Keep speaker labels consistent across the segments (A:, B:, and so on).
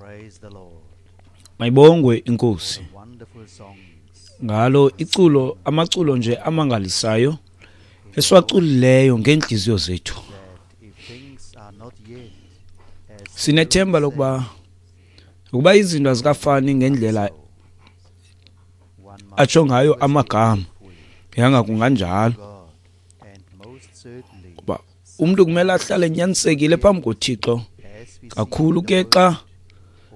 A: Praise the Lord
B: Mayibongwe inkosi
A: for the wonderful songs
B: ngalo iculo, amaculo nje amangalisayo esiwaculileyo ngeentliziyo zethu.
A: that if things are not yet as
B: Sinethemba
A: Harold
B: lokuba
A: said,
B: ukuba izinto azikafani ngendlela
A: so one must
B: atsho ngayo
A: always be
B: amagama,
A: faithful
B: yanga
A: to
B: kunganjalo.
A: God and most certainly
B: Kuba umntu kumele ahlale enyanisekile phambi koThixo
A: as we see
B: kakhulu
A: in the
B: ke xa
A: word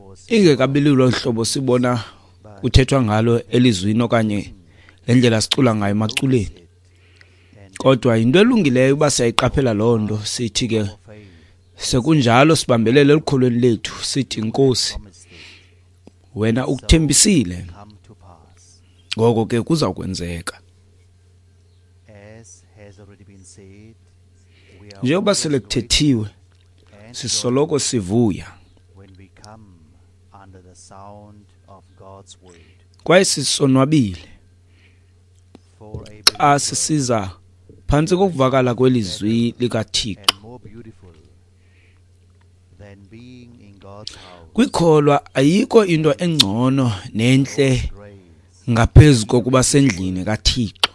A: or see
B: ingekabi lulo hlobo sibona
A: but
B: kuthethwa ngalo elizwini okanye le ndlela sicula ngayo emaculeni.
A: notice it and
B: Kodwa yinto elungileyo uba siyayiqaphela loo nto, sithi ke
A: our faith
B: sekunjalo sibambelele elukholweni lethu, sithi Nkosi,
A: promised it
B: wena ukuthembisile,
A: come to pass.
B: ngoko ke kuza kwenzeka.
A: As has already been said, we are
B: Njengoba
A: always
B: sele kuthethiwe,
A: grateful and
B: sisoloko sivuya
A: joyful when we come under the sound of God's word.
B: kwaye sisonwabile
A: For a
B: xa
A: believer
B: sisiza phantsi kokuvakala kwelizwi likaThixo.
A: and more beautiful than being in God's house,
B: Kwikholwa ayikho into engcono nentle
A: God's grace,
B: ngaphezu kokuba sendlini kaThixo,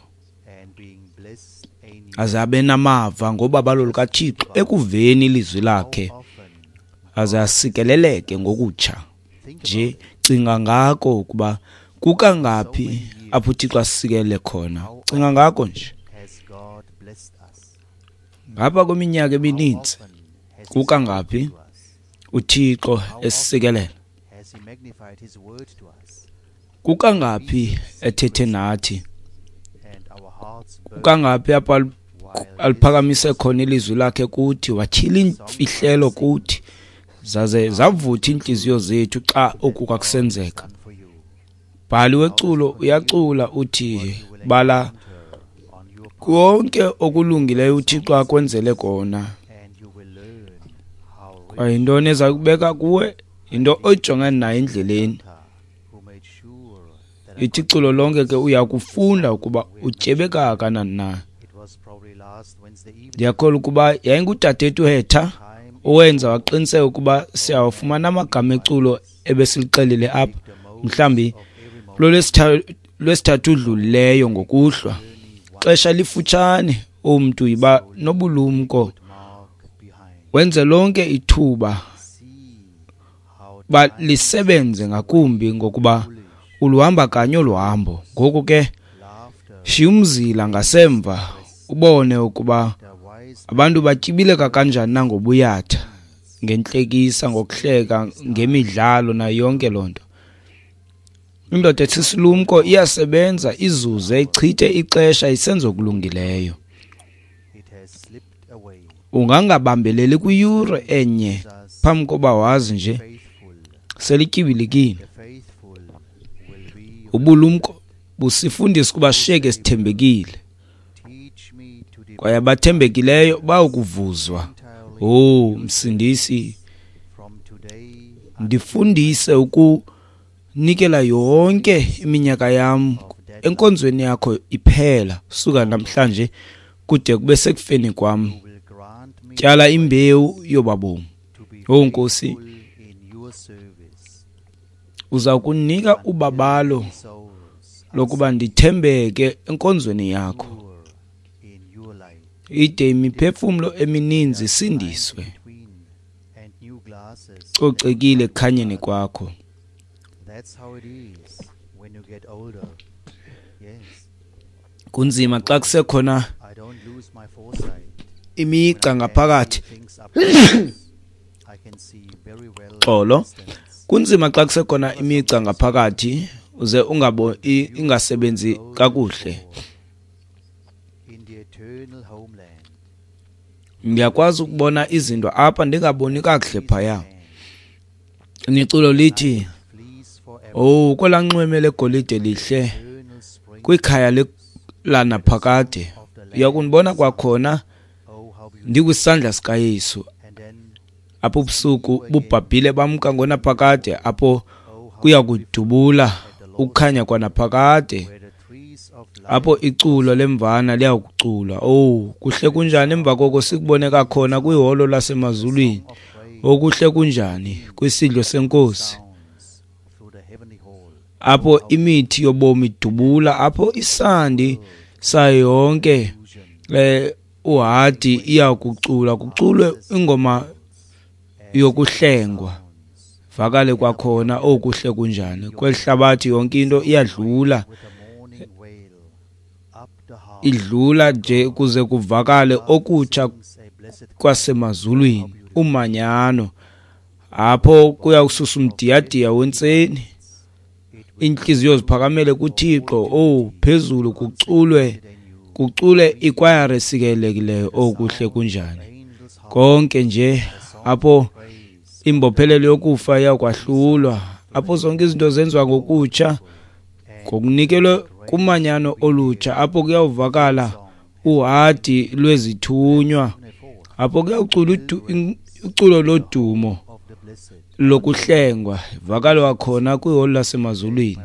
A: and being blessed anew.
B: aze abe namava ngobabalo lukaThixo ekuveni ilizwi lakhe,
A: How often
B: aze asikeleleke ngokutsha.
A: think
B: Nje
A: about it.
B: cinga ngako ukuba kukangaphi apho uThixo asikelele khona. Cinga ngako nje.
A: Has God blessed us?
B: Ngapha kweminyaka
A: How
B: emininzi
A: often has He
B: kukangaphi
A: spoken to us?
B: uThixo esisikelela,
A: Has He magnified His word to us?
B: kukangaphi ethethe nathi,
A: And our hearts burn
B: kukangaphi apho
A: while
B: aliphakamise khona ilizwi lakhe kuthi, watyhila iimfihlelo kuthi, zaze zavutha iintliziyo zethu xa oku kwakusenzeka.
A: done for you.
B: Bhali weculo uyacula uthi,
A: What you will
B: bala
A: encounter on your path,
B: konke okulungileyo uThixo akwenzele kona.
A: and you will learn how rich
B: Kwaye yintoni eza kubeka kuwe, yinto oyijongene nayo endleleni.
A: Hunter who made sure that I
B: Ithi iculo lonke ke uya kufunda ukuba utyebe kangakanani na.
A: It was probably last Wednesday evening.
B: Ndiyakholwa ukuba yayingudadethu Hetha
A: Time
B: owenza waqiniseka ukuba siyawafumana amagama eculo ebesilixelile apha,
A: make the most
B: mhlawumbi
A: of every moment.
B: lwesithathu udlulileyo ngokuhlwa.
A: Journey one
B: Xesha lifutshane, umntu yiba nobulumko,
A: good mark behind.
B: wenze lonke ithuba
A: See how
B: ba
A: time
B: lisebenze ngakumbi ngokuba
A: foolish
B: uluhamba kanye olu hambo. Ngoku ke
A: laughter
B: shiya umzila ngasemva ubone ukuba
A: the wise
B: abantu batyibileka kanjani na ngobuyatha, ngentlekisa, ngokuhleka, ngemidlalo nayo yonke loo nto. Indoda esisilumko iyasebenza, izuze, ichithe ixesha isenza okulungileyo.
A: it has slipped away.
B: Ungangabambeleli kwiyure enye
A: Jesus
B: phambi koba wazi nje
A: faithful.
B: selityibilikile.
A: The faithful will be
B: Ubulumko busifundisa ukuba sishiyeke sithembekile,
A: teach me to
B: kwaye
A: depart
B: abathembekileyo bayokuvuzwa.
A: entirely
B: Oh Msindisi,
A: from today
B: ndifundise ukunikela yonke iminyaka yam
A: of that
B: enkonzweni yakho iphela, suka namhlanje kude kube sekufeni kwam.
A: you will grant me
B: Tyala imbewu yobabomi.
A: to be
B: Oh Nkosi,
A: faithful in your service
B: uza kunika ubabalo
A: many souls are
B: lokuba ndithembeke enkonzweni yakho,
A: secure in your light.
B: ide imiphefumlo emininzi isindiswe,
A: Between and new glasses.
B: cocekile ekukhanyeni kwakho.
A: That's how it is when you get older. Yes,
B: Kunzima xa kusekhona
A: I don't lose my foresight.
B: imigca
A: When I can
B: ngaphakathi.
A: see things up close, I can see very well at
B: Xolo.
A: distance.
B: Kunzima xa kusekhona imigca ngaphakathi uze ungabo ingasebenzi
A: Golden
B: kakuhle.
A: shore In the eternal homeland.
B: Ndiyakwazi ukubona izinto apha ndingaboni kakuhle phaya.
A: And
B: Niculo lithi,
A: flees forever.
B: "Oh, kwelaa nxweme legolide lihle
A: Eternal spring
B: kwikhaya lanaphakade.
A: of the
B: Uya
A: Lamb.
B: kundibona kwakhona
A: Oh, how beautiful.
B: ndikwisandla sikaYesu."
A: And then,
B: Apho ubusuku bubhabhile bamka ngonaphakade, apho
A: oh, how
B: kuya
A: beautiful
B: kudubula
A: at the Lord's
B: ukukhanya kwanaphakade,
A: where the trees of life
B: apho iculo lemvana liyakuculwa. Oh, kuhle kunjani emva koko sikubone kakhona kwiholo lasemazulwini.
A: of praise
B: Okuhle kunjani kwisidlo senkosi, apho imithi yobomi idubula, apho isandi sayo yonke uhadi iyakucula, kuculwe ingoma yokuhlengwa, vakale kwakhona okuhle kunjani. Kweli hlabathi yonke into iyadlula, idlula nje kuze kuvakale okutsha kwasemazulwini, umanyano, apho kuya kususa umdiyadiya wentseni, inhliziyo ziphakamele kuThixo. Oh, phezulu kuculwe ikwayara esikelekileyo, okuhle kunjani. Konke nje apho imbophelelo yokufa iyakwahlulwa, apho zonke izinto zenziwa ngokutsha, ngokunikelwe kumanyano olutsha, apho kuyawuvakala uhadi lwezithunywa, apho kuyawucula uculo lodumo lokuhlengwa, vakala khona kwiholo lasemazulwini.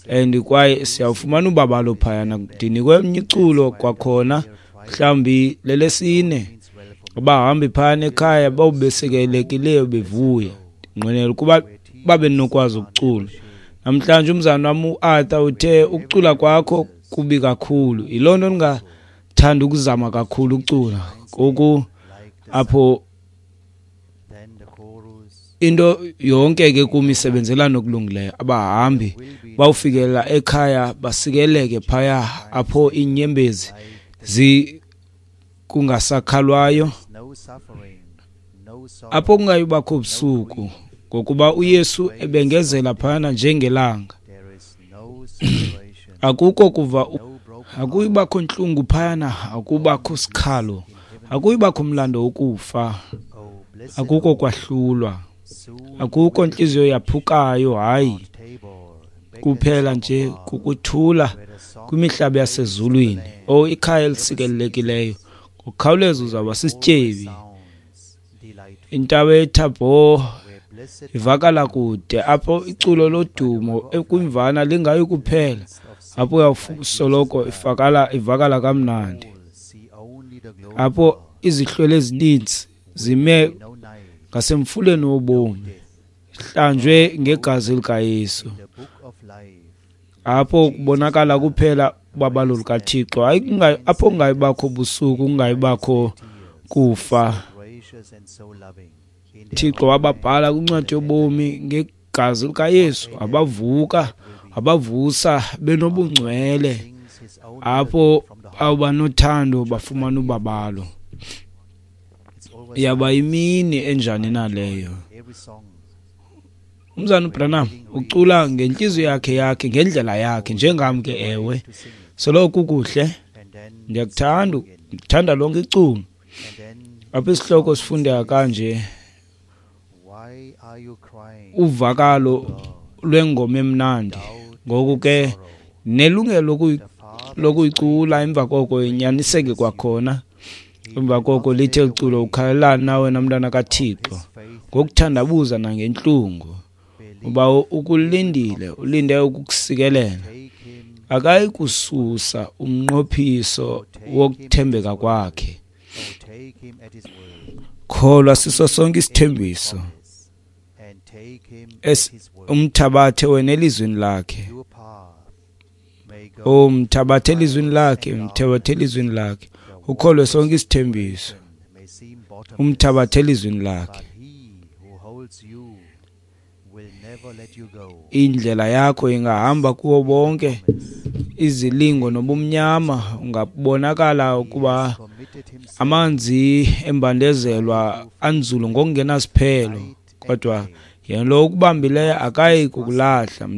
B: And kwaye siyawufumana ubabalo phayana. Ndinikwe omnye iculo kwakhona, mhlawumbi lelesine, abahambi phayana ekhaya bawubesekelekileyo bevuya. Ndinqwenela ukuba babe nokwazi ukucula. Namhlanje umzana wam uArthur uthe ukucula kwakho kubi kakhulu, yiloo nto ndingathanda ukuzama kakhulu ukucula. Ngoku apho into yonke ke kum isebenzelana okulungileyo. Abahambi bawufikelela ekhaya basikeleke phaya, apho iinyembezi kungasakhalwayo, apho kungayubakho ubusuku, ngokuba uYesu ebengezela phayana njengelanga. Akukho kuva, akuyubakho ntlungu phayana, akubakho sikhalo, akuyubakho mlando wokufa, akukho kwahlulwa, akukho ntliziyo yaphukayo. Hayi, kuphela nje kukuthula kwimihlaba yasezulwini. Oh, ikhaya elisikelelekileyo, ngokukhawuleza uzawuba sisityebi. Intaba yeThabor ivakala kude, apho iculo lodumo ekwimvana lingayi kuphela, apho uyawusoloko ivakala kamnandi, apho izihlwele ezininzi zime ngasemfuleni wobomi, hlanjwe ngegazi likaYesu, apho kubonakala kuphela ubabalo lukaThixo. Hayi, apho kungayibakho busuku, kungayibakho kufa. Thixo wababhala kwincwadi yobomi ngegazi likaYesu, abavuka, abavusa benobungcwele, apho awubanothando bafumana ubabalo. Yaba imini enjani na leyo? Umzana uBranham ucula ngentliziyo yakhe ngendlela yakhe, njengam ke. Ewe, soloko kukuhle, ndiyakuthanda, ndithanda lonke iculo. Apha isihloko sifundeka kanje: uvakalo lwengoma emnandi. Ngoku ke nelungelo lokuyicula, emva koko inyaniseke kwakhona. Emva koko lithe iculo, ukhalelani na wena mntana kaThixo, ngokuthandabuza nangentlungu, uba ukulindile, ulinde ukukusikelela. Akayi kususa umnqophiso wokuthembeka kwakhe. Kholwa siso sonke isithembiso, umthabathe wena elizwini lakhe. Oh, mthabathe elizwini lakhe, mthabathe elizwini lakhe, ukholwe sonke isithembiso, umthabathe elizwini lakhe. Indlela yakho ingahamba kuwo bonke izilingo nobumnyama, ungabonakala ukuba amanzi embandezelwa anzulu ngokungenasiphelo, kodwa yena lo ukubambileyo akayi kukulahla.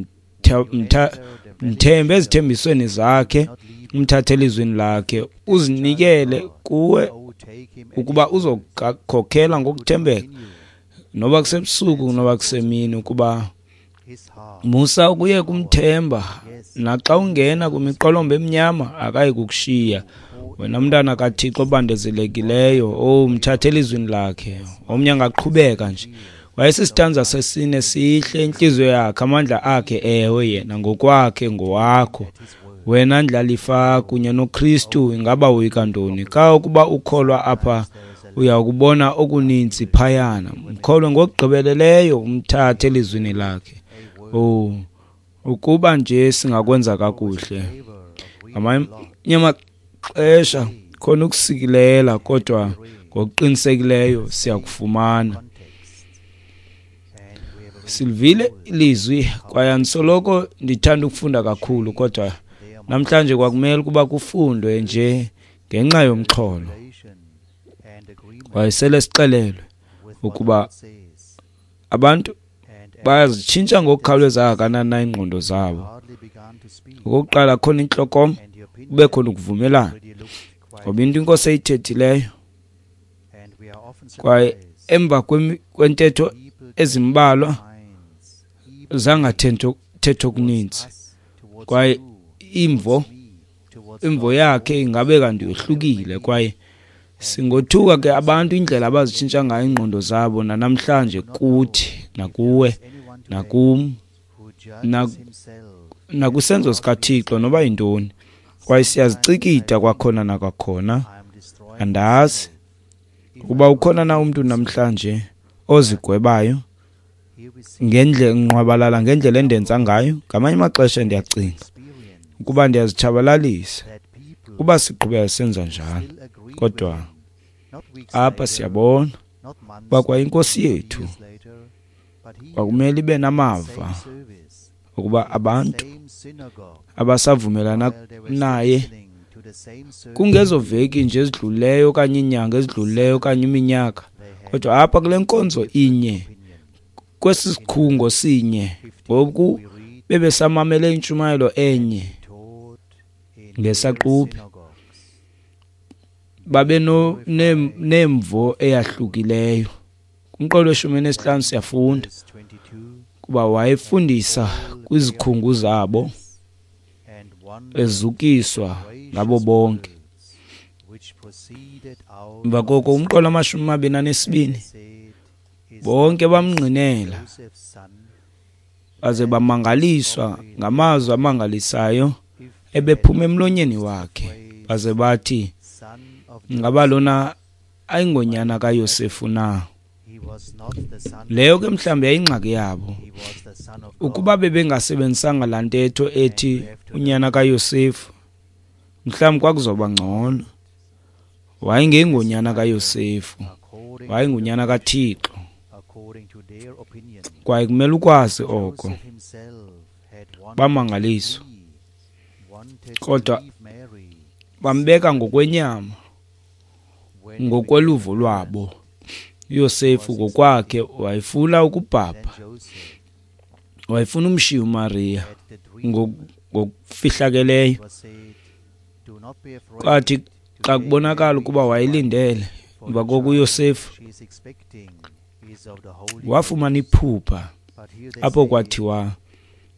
B: Mthembe ezithembisweni zakhe, umthathe elizwini lakhe, uzinikele kuwe ukuba uzokukhokhela ngokuthembeka, noba kusebusuku noba kusemini, ukuba musa ukuye kumthemba. Naxa ungena kwimiqolomba emnyama akayi kukushiya wena mntana kaThixo obandezelekileyo. Oh, mthathe elizwini lakhe. Omnye angaqhubeka nje. Wayesisitanza sesine sihle, intliziyo yakhe, amandla akhe, ewe, yena ngokwakhe ngowakho. Wena ndlalifa kunye noKristu, ingaba woyika ntoni? Xa ukuba ukholwa apha Uya kubona okuninzi phayana. Mkholwe ngokugqibeleleyo, umthathe elizwini lakhe. Oh, ukuba nje singakwenza kakuhle. Ngamanye amaxesha khona ukusikilela, kodwa ngokuqinisekileyo siyakufumana. Silivile ilizwi kwaye andisoloko ndithanda ukufunda kakhulu, kodwa namhlanje kwakumele ukuba kufundwe nje ngenxa yomxholo. Kwaye sele sixelelwe ukuba abantu bayazitshintsha ngokukhawuleza kangakanani na iingqondo zabo. Okokuqala khona intlokoma, kube khona ukuvumelana, ngoba into iNkosi eyithethileyo, kwaye emva kwentetho ezimbalwa zangathetha okuninzi, kwaye imvo yakhe ingabe kanti yohlukile. Kwaye singothuka ke abantu indlela abazitshintsha ngayo iingqondo zabo nanamhlanje, kuthi nakuwe nakum nakwisenzo sikaThixo noba yintoni. Kwaye siyazicikida kwakhona nakwakhona. Andazi ukuba ukhona na umntu namhlanje ozigwebayo ngendlela nqwabalala ngendlela endenza ngayo. Ngamanye amaxesha ndiyacinga ukuba ndiyazitshabalalisa kuba siqhubeka senza njalo, kodwa apha siyabona uba kwa iNkosi yethu kwakumele ibe namava ukuba abantu abasavumelana naye kungezo veki nje ezidlulileyo okanye iinyanga ezidlulileyo okanye iminyaka, kodwa apha kule nkonzo inye, kwesi sikhungo sinye, ngoku bebesamamele intshumayelo enye ngesaquphe, babe nemvo eyahlukileyo. Kumqolo we-15 siyafunda kuba wayefundisa kwizikhungu zabo, ezukiswa ngabo bonke. Emva koko umqolo 22, bonke bamngqinela baze bamangaliswa ngamazwi amangalisayo ebephuma emlonyeni wakhe, baze bathi, ngaba lona ayingonyana kaYosefu na? Leyo ke mhlawumbi yayingxaki yabo. Ukuba bebengasebenzisanga laa ntetho ethi unyana kaYosefu, mhlawumbi kwakuzoba ngcono. Wayengengonyana kaYosefu, wayengunyana kaThixo, kwaye kumele ukwazi oko. Bamangaliswa, kodwa bambeka ngokwenyama, ngokweluvo lwabo. uYosefu ngokwakhe wayefuna ukubhabha, wayefuna umshiya uMariya ngokufihlakeleyo. Kwathi xa kubonakala ukuba wayelindele, emva koko uYosefu wafumana iphupha apho kwathiwa,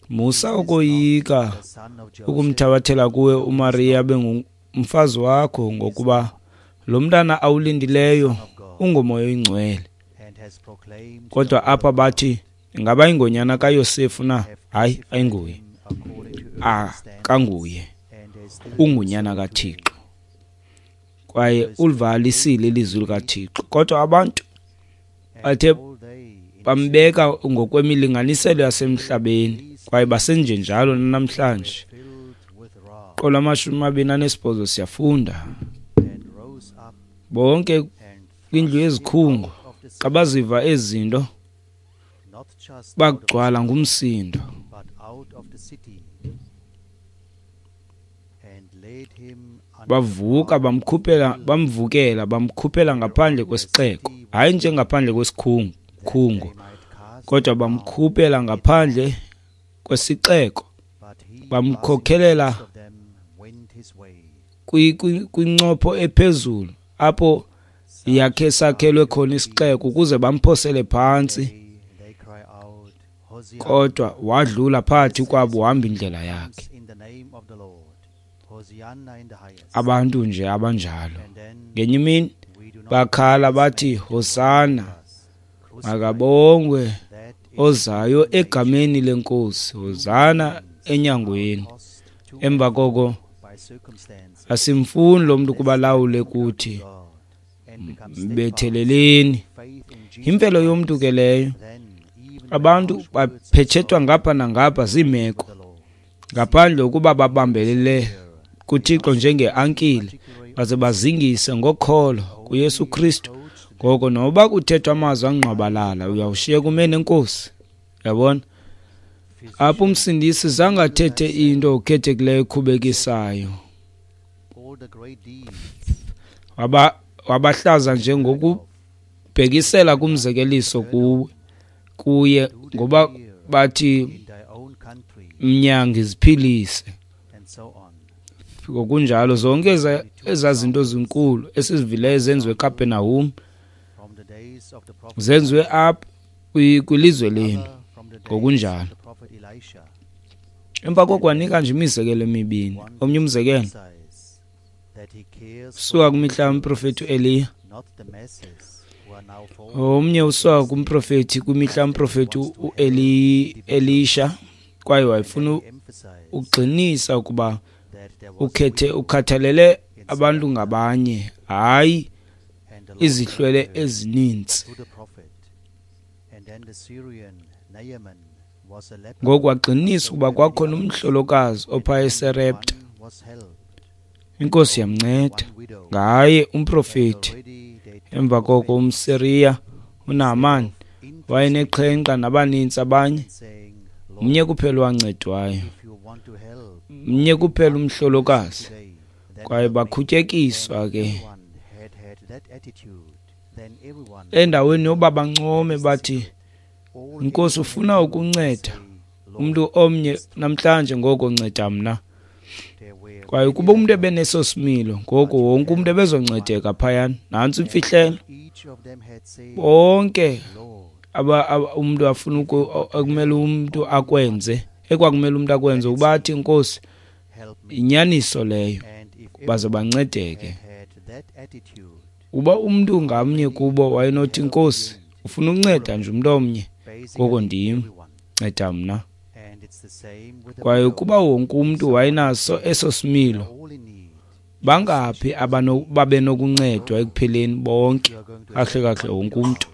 B: musa ukoyika ukumthabathela kuwe uMariya abe ngumfazi wakho, ngokuba lo mntana awulindileyo unguMoya oyiNgcwele. Kodwa apha bathi, ingaba ingonyana kaYosefu na? Hayi, ayinguye, akanguye, ungunyana kaThixo, kwaye ulivalisile ilizwi likaThixo. Kodwa abantu bathe bambeka ngokwemilinganiselo yasemhlabeni, kwaye basenjenjalo namhlanje. Qolo 28 siyafunda, bonke kwindlu yezikhungo xa baziva ezi zinto bagcwala ngumsindo. Bavuka bamvukela bamkhuphela ngaphandle kwesixeko, hayi nje ngaphandle kwesikhungo, kodwa bamkhuphela ngaphandle kwesixeko, bamkhokhelela kwincopho ephezulu apho yakhe sakhelwe khona isixeko, ukuze bamphosele phantsi. Kodwa wadlula phakathi kwabo, wahamba indlela yakhe. Abantu nje abanjalo. Ngenye imini bakhala bathi, Hosana, makabongwe ozayo egameni leNkosi, Hosana enyangweni. Emva koko asimfuni lo mntu kuba lawule kuthi. Mbetheleleni. Yimvelo yomntu ke leyo. Abantu baphetshethwa ngapha nangapha ziimeko, ngaphandle ukuba babambelele kuThixo njengeankile baze bazingise ngokholo kuYesu Kristu. Ngoko noba kuthethwa amazwi angqwabalala, uyawushiyeka ume neNkosi. Yabona? Apho uMsindisi zange athethe into okhethekileyo ekhubekisayo. Wabahlaza nje ngokubhekisela kumzekeliso kuye, ngoba bathi mnyangi ziphilise. Ngokunjalo zonke ezaa zinto zinkulu esizivileyo zenziwe eKapenahum, zenziwe apha kwilizwe lenu. Ngokunjalo emva koko wanika nje imizekelo emibini. Omnye umzekelo usuka kwimihla yomprofethi uEliya, omnye usuka kumprofethi kwimihla yomprofethi uElisha, kwaye wayefuna ukugxinisa ukuba ukhethe ukhathalele abantu ngabanye, hayi izihlwele ezininzi. Ngoku wagxinisa ukuba kwakhona umhlolokazi opha eSerepta, iNkosi yamnceda ngaye umprofethi. Emva koko umSiriya uNaamani wayeneqhenqa nabaninzi abanye, mnye kuphela owancedwayo, mnye kuphela umhlolokazi, kwaye bakhutyekiswa ke endaweni yoba bancome bathi, Nkosi, ufuna ukunceda umntu omnye namhlanje, ngoko nceda mna. Kwaye ukuba umntu ebeneso similo, ngoko wonke umntu ebezoncedeka phayana. Nantsi imfihlelo. Bonke umntu afuna ekumele umntu akwenze, ekwakumele umntu akwenze, ukuba athi, Nkosi, inyaniso leyo, baze bancedeke. Uba umntu ngamnye kubo wayenothi, Nkosi, ufuna ukunceda nje umntu omnye, ngoko ndim, nceda mna. Kwaye ukuba wonke umntu wayenaso eso similo, bangaphi babenokuncedwa ekupheleni bonke, kahle kahle wonke umntu.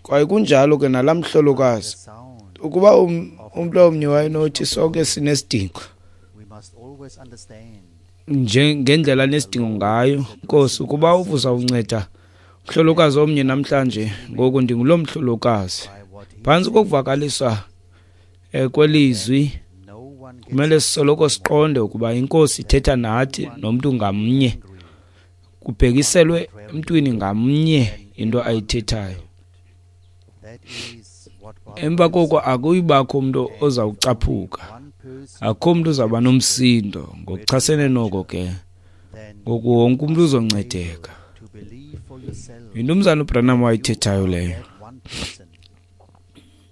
B: Kwaye kunjalo ke nalaa mhlolokazi, ukuba umntu omnye wayenothi sonke sinesidingo, nje ngendlela nesidingo ngayo, Nkosi, ukuba uzawunceda umhlolokazi omnye namhlanje, ngoku ndinguloo mhlolokazi. Phantsi kokuvakaliswa kwelizwi, kumele sisoloko siqonde ukuba iNkosi ithetha nathi nomntu ngamnye, kubhekiselwe emntwini ngamnye into ayithethayo. Emva koko akuyibakho umntu ozawucaphuka, akukho mntu uzawuba nomsindo ngokuchasene noko ke, ngoku wonke umntu uzoncedeka. Yinto umzana uBranham wayithethayo leyo.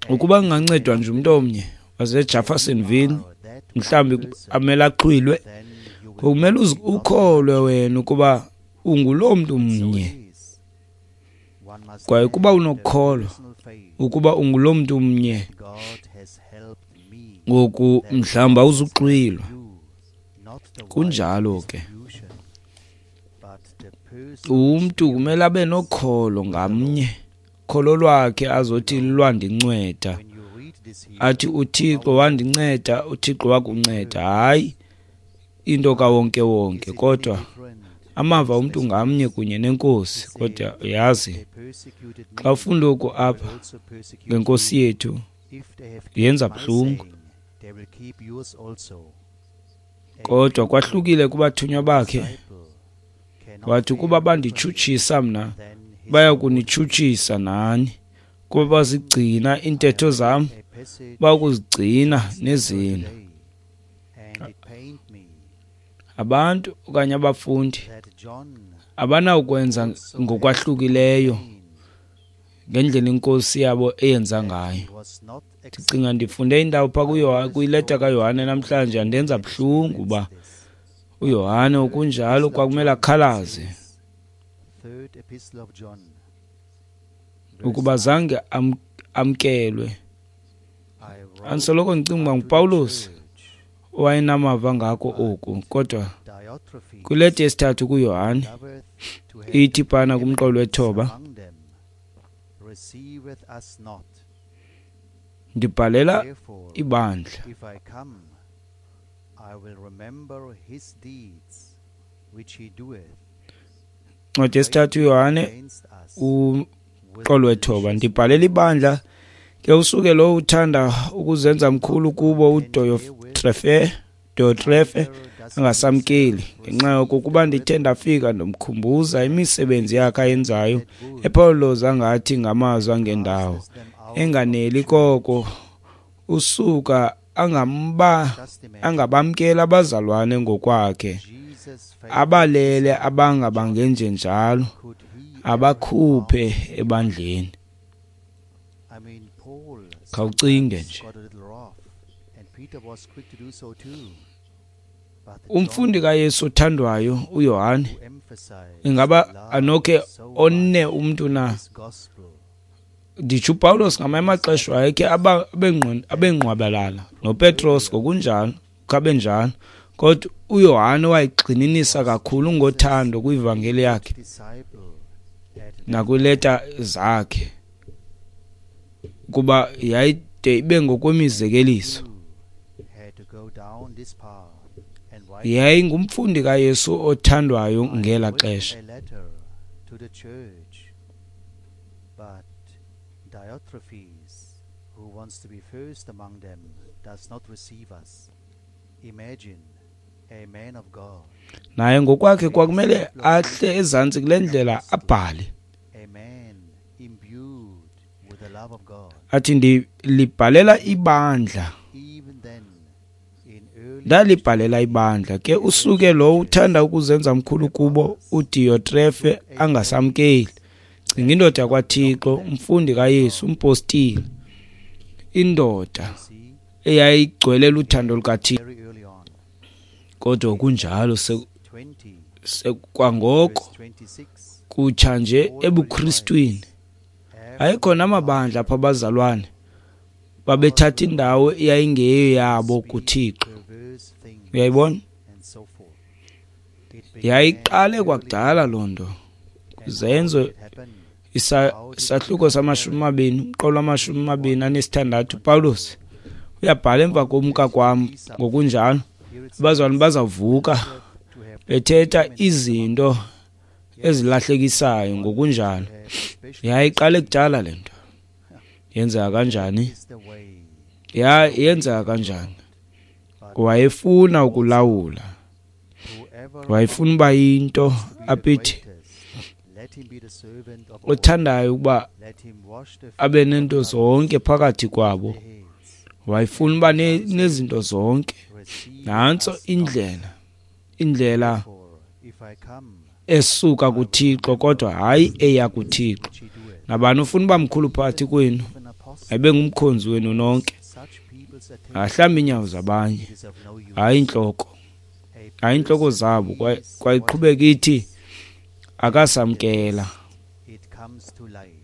B: Ukuba kungancedwa nje umntu omnye waseJeffersonville, mhlawumbi amele axhwilwe, ngokumele ukholwe wena ukuba unguloo mntu mnye. Kwaye ukuba unokukholwa ukuba unguloo mntu mnye, ngoku mhlawumbi awuzuxhwilwa. Kunjalo ke. Umntu kumele abe nokholo ngamnye, kholo lwakhe azothi lwandinceda, athi uThixo wandinceda, uThixo wakunceda. Hayi into kawonke wonke, kodwa amava umntu ngamnye kunye neNkosi. Kodwa yazi, xa ufunda oku apha ngeNkosi yethu, yenza buhlungu. Kodwa kwahlukile kubathunywa bakhe. Wathi ukuba banditshutshisa mna, bayakunitshutshisa nani. Kuba bazigcina iintetho zam, bayakuzigcina nezenu. Abantu okanye abafundi abanawukwenza ngokwahlukileyo ngendlela iNkosi yabo eyenza ngayo. Ndicinga ndifunde indawo phaa kwileta kaYohane namhlanje, andenza buhlungu uba uYohane okunjalo kwakumele akhalaze ukuba zange amkelwe. Andisoloko ndicinga uba nguPawulos owayenamava ngako oku, kodwa Kwileta yesithathu kuYohane ithi phana kumqolo wethoba, ndibhalela ibandla. Ncwadi yesithathu uYohane umqolo wethoba, ndibhalela ibandla ke usuke lo uthanda ukuzenza mkhulu kubo uDiyotrefe angasamkeli. Ngenxa yoko kuba ndithe ndafika ndomkhumbuza imisebenzi yakhe ayenzayo epholoza ngathi ngamazwi angendawo, enganeli koko usuka angabamkela abazalwane ngokwakhe, abalele abangabangenjenjalo abakhuphe ebandleni. Khawucinge nje. Umfundi kaYesu othandwayo uYohane ingaba anokhe one umntu na? Nditsho uPawulos ngamanye amaxesha wayekhe abengqwabalala noPetros ngokunjalo khabe njalo, kodwa uYohane wayigxininisa kakhulu ngothando kwivangeli yakhe nakwileta zakhe, kuba yayide ibe ngokwemizekeliso. Yayingumfundi kaYesu othandwayo ngela xesha.
A: Diotrephes, who wants to be first among them, does not receive us. Imagine a man of God.
B: Naye ngokwakhe kwakumele ahle ezantsi kule ndlela abhale.
A: A man imbued with the love of God.
B: Athi ndilibhalela ibandla.
A: Even then, in early
B: Ndalibhalela ibandla ke usuke lo uthanda ukuzenza mkhulu kubo uDiyotrefe angasamkeli. Cinga indoda yakwaThixo, umfundi kaYesu, umpostile, indoda eyayigcwele luthando lukaThixo.
A: very early on,
B: Kodwa kunjalo
A: 20
B: kwangoko
A: verse 26,
B: kutsha nje ebuKristwini ayekhona amabandla apho abazalwane babethatha indawo eyayingeyo yabo kuThixo.
A: perverse things,
B: Uyayibona?
A: and so forth. It began
B: Yayiqale kwakudala loo nto. Kwizenzo
A: it happened
B: isahluko sama-20, umqolo wama-26, uPawulos uyabhala emva komka kwam ngokunjalo abazalwane bazawuvuka
A: to have
B: bethetha izinto ezilahlekisayo ngokunjalo. Yayiqale kudala le nto. Yenzeka kanjani?
A: is the way.
B: Yenzeka kanjani? Wayefuna ukulawula,
A: Whoever
B: wayefuna uba yinto apithi
A: greatest, let him be the servant of all.
B: othandayo ukuba
A: Let him wash the feet
B: abe nento zonke phakathi kwabo.
A: of heads.
B: Wayefuna uba nezinto zonke.
A: Receive
B: Nantso
A: us not.
B: indlela
A: For if I come,
B: esuka kuThixo kodwa hayi eya kuThixo.
A: which he doeth,
B: Nabani ufuna uba mkhulu phakathi kwenu,
A: if an apostle,
B: ayibe ngumkhonzi wenu nonke,
A: such people's attention
B: ahlambe iinyawo zabanye,
A: is of no use.
B: hayi intloko,
A: A
B: hayi intloko
A: person
B: zabo.
A: is what
B: Kwayiqhubeka ithi akasamkela.
A: it comes to light.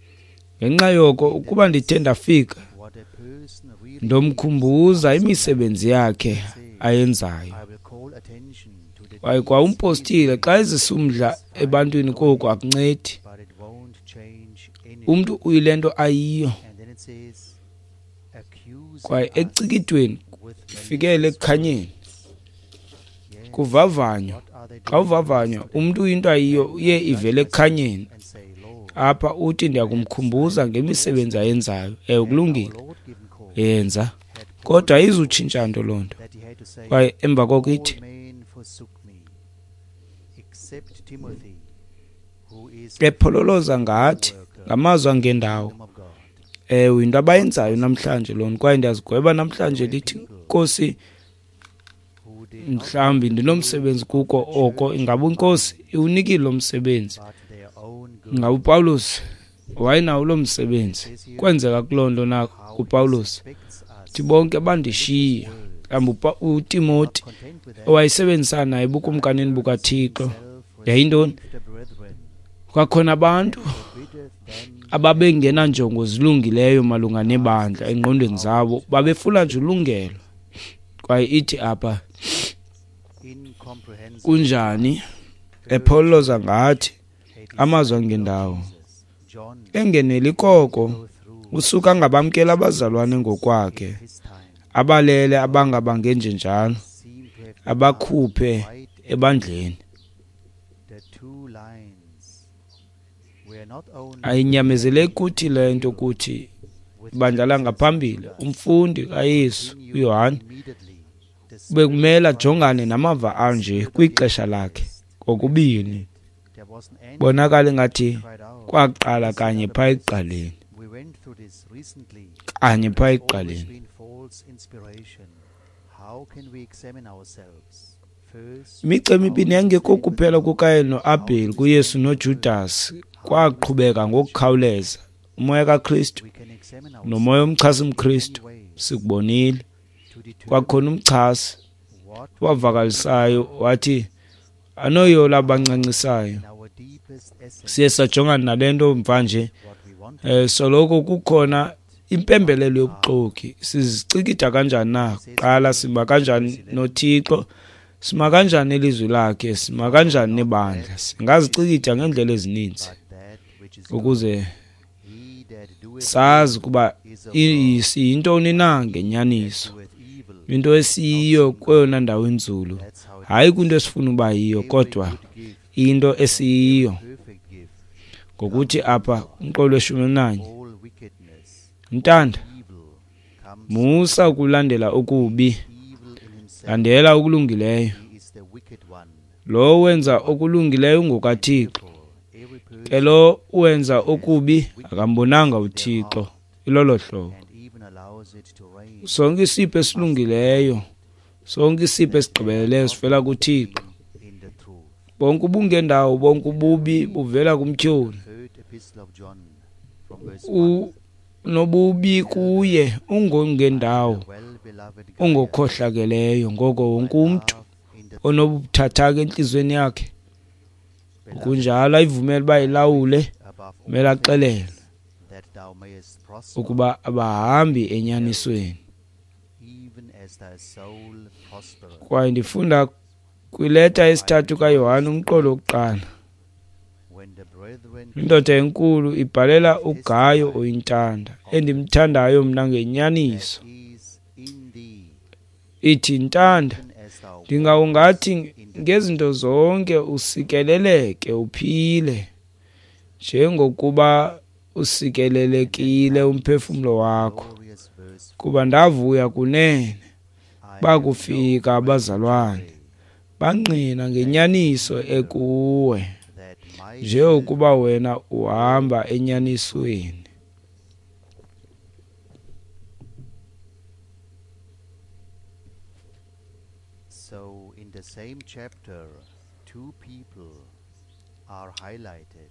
B: Ngenxa yoko ukuba ndithe ndafika
A: What a person really
B: ndomkhumbuza imisebenzi yakhe ayenzayo.
A: I will call attention to the
B: Kwaye
A: deeds
B: kwa umpostile xa ezisa umdla ebantwini koku akuncedi.
A: but it won't change anything.
B: Umntu uyile nto ayiyo.
A: And then it says, accusing
B: Kwaye
A: us
B: ecikidweni
A: with
B: fikele
A: malicious
B: ekukhanyeni
A: words. Yes,
B: kuvavanyo.
A: what are they
B: Xa
A: doing
B: uvavanywa
A: today?
B: umntu uyinto ayiyo uye ivele ekukhanyeni.
A: And say, Lord,
B: Apha uthi ndiyakumkhumbuza ngemisebenzi ayenzayo. Ewe, kulungile,
A: our Lord given cause
B: yenza,
A: had Paul
B: kodwa ayizutshintsha nto loo nto.
A: that he had to say,
B: Kwaye emva koko ithi
A: all men forsook me, except Timothy, who is
B: ephololoza ngathi ngamazwi angendawo.
A: kingdom of God.
B: Ewe, yinto abayenzayo namhlanje loo nto. Kwaye ndiyazigweba namhlanje lithi Nkosi,
A: Who did not
B: mhlawumbi ndinomsebenzi kuko oko. Ingaba inkosi iwunikile lo msebenzi?
A: but their own good.
B: Ingaba uPawulos wayenawo lo msebenzi? Kwenzeka kuloo nto na
A: How he
B: kuPawulos?
A: suspects us,
B: Thi bonke bandishiya. Mhlawumbi uTimoti
A: not content with that,
B: owayesebenzisana naye ebukumkanini bukaThixo yayintoni?
A: himself the brethren,
B: Kwakhona abantu
A: forbiddeth them
B: ababengenanjongo zilungileyo malunga nebandla engqondweni zabo, babefuna nje ulungelo. Kwaye ithi apha
A: Incomprehensible.
B: Kunjani epholoza ngathi amazwi angendawo,
A: Jesus, John
B: engeneli koko
A: go through
B: usuka angabamkela abazalwane ngokwakhe,
A: his time
B: abalele abangabangenjenjalo,
A: seem to have
B: abakhuphe
A: quite
B: ebandleni.
A: the two lines were not only
B: Ayinyamezeleki kuthi le nto kuthi
A: with
B: ibandla langaphambili, umfundi kaYesu uYohane
A: immediately the
B: bekumele ajongane namava anje kwixesha lakhe kokubini.
A: there wasn't any
B: Bonakala ingathi
A: cried out.
B: kwaqala kanye phaa ekuqaleni,
A: We went through this recently.
B: kanye phaa
A: There's always
B: ekuqaleni.
A: been false inspiration. How can we examine ourselves? First,
B: Imicu emibini yayingekho kuphela kuKayini noAbheli, kuYesu noJudas kwaqhubeka ngokukhawuleza. Umoya kaKristu
A: we can examine ourselves
B: nomoya omchasi mKristu
A: in ways
B: sikubonile.
A: to determine
B: Kwakhona umchasi
A: what
B: wavakalisayo wathi anoyola abancancisayo.
A: in our deepest essence
B: Siye sajongana nale nto mvanje,
A: what we want
B: soloko kukhona impembelelo yobuxoki. Sizicikida kanjani na? Kuqala sima kanjani noThixo? Sima kanjani nelizwi lakhe? Sima kanjani nebandla? Singazicikida ngeendlela ezininzi
A: but that which is good.
B: ukuze
A: He that doeth
B: sazi ukuba
A: is of God,
B: siyintoni na ngenyaniso,
A: doeth evil.
B: into esiyiyo kweyona ndawo inzulu,
A: That's how it
B: hayi kwinto esifuna uba yiyo,
A: Every
B: kodwa
A: good gift,
B: into esiyiyo.
A: perfect gift,
B: Ngokuthi apha umqolo weshumi elinanye,
A: all wickedness,
B: mntanda,
A: evil comes
B: musa ukulandela okubi,
A: evil in himself.
B: landela okulungileyo.
A: He is the wicked one.
B: Lo wenza okulungileyo ungokaThixo,
A: Therefore, every person
B: ke lo wenza okubi akambonanga uThixo. Ilolo hlobo.
A: and even allows it to reign
B: Sonke isipho esilungileyo, sonke isipho esigqibeleleyo sivela kuThixo.
A: in the truth.
B: Bonke ubungendawo, bonke ububi buvela kumtyholi.
A: Third epistle of John from verse 1.
B: Unobubi kuye ungongendawo,
A: Well-beloved Gaius,
B: ungokhohlakeleyo. Ngoko wonke umntu
A: love in the
B: onobuthathaka entliziyweni yakhe,
A: beloved
B: kunjalo ayivumele uba ilawule,
A: above all
B: kumele axelelwe
A: things, that thou mayest prosper,
B: ukuba abahambi enyanisweni.
A: even as thy soul prospereth.
B: Kwaye ndifunda kwileta yesithathu kaYohane umqolo wokuqala.
A: When the brethren
B: Indoda enkulu ibhalela uGayo oyintanda, endimthandayo mna ngenyaniso.
A: that is in thee,
B: Ithi, ntanda,
A: even as thou
B: ndingawungathi
A: walkest in the
B: ngezinto zonke usikeleleke uphile, njengokuba usikelelekile umphefumlo wakho.
A: glorious verse,
B: Kuba ndavuya kunene
A: I have
B: bakufika
A: no
B: abazalwane,
A: greater
B: bangqina ngenyaniso ekuwe,
A: joy that my
B: njengokuba wena uhamba enyanisweni.
A: So in the same chapter, two people are highlighted.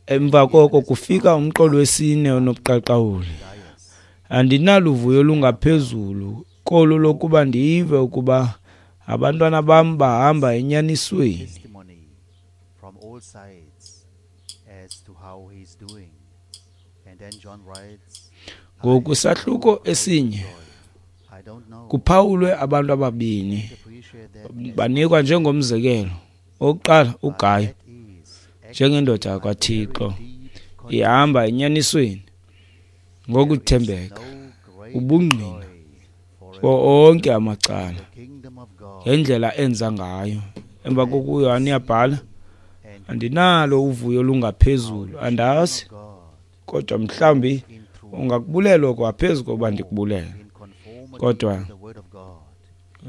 B: Emva koko kufika umqolo wesine onobuqaqawuli.
A: Gaius,
B: Andinaluvuyo olungaphezulu kolu lokuba ndive ukuba abantwana bam bahamba enyanisweni.
A: testimony from all sides as to how he is doing. And then John writes, I
B: Ngoku
A: have
B: sahluko
A: no greater
B: esinye
A: joy. I don't know.
B: kuphawulwe abantu ababini
A: Appreciate that as
B: banikwa njengomzekelo. Owokuqala
A: but
B: uGayo
A: that is
B: njengendoda
A: actually my
B: yakwaThixo
A: very deep conviction.
B: ihamba enyanisweni ngokuthembeka,
A: There is no greater
B: ubungqina
A: joy for a
B: kuwo onke amacala
A: the kingdom of God
B: ngendlela enza ngayo. Emva koko uYohane uyabhala,
A: and
B: andinalo uvuyo olungaphezulu, andazi,
A: of God
B: kodwa mhlawumbi
A: in truth,
B: ungakubulela okwaphezu kokuba ndikubulele.
A: in conformity
B: Kodwa
A: to the word of God.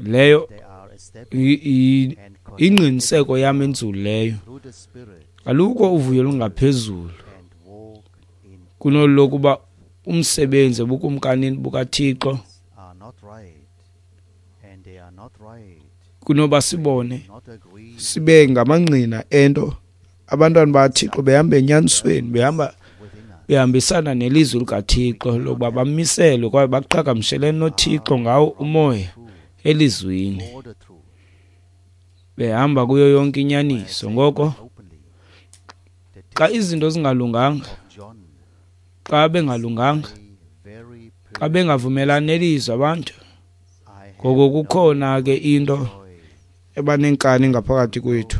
B: Leyo
A: They are established and connected
B: ingqiniseko yam enzulu leyo.
A: through the Spirit
B: Alukho uvuyo olungaphezulu
A: and walk in
B: kunolu lokuba umsebenzi ebukumkanini bukaThixo,
A: are not right, and they are not right,
B: kunoba sibone
A: not agree
B: sibe ngamangqina ento abantwana bakaThixo behamba enyanisweni, behamba
A: within us.
B: behambisana nelizwi likaThixo lokuba bamiselwe kwaye baqhagamshelene noThixo ngawo umoya
A: Truth,
B: elizwini,
A: for the truth,
B: behamba kuyo yonke inyaniso. Ngoko
A: openly. The
B: xa izinto zingalunganga,
A: of John,
B: xa bengalunganga,
A: a very
B: xa bengavumelani nelizwi abantu,
A: I have
B: ngoko kukhona ke into
A: joy.
B: Ebanenkani ngaphakathi kwethu.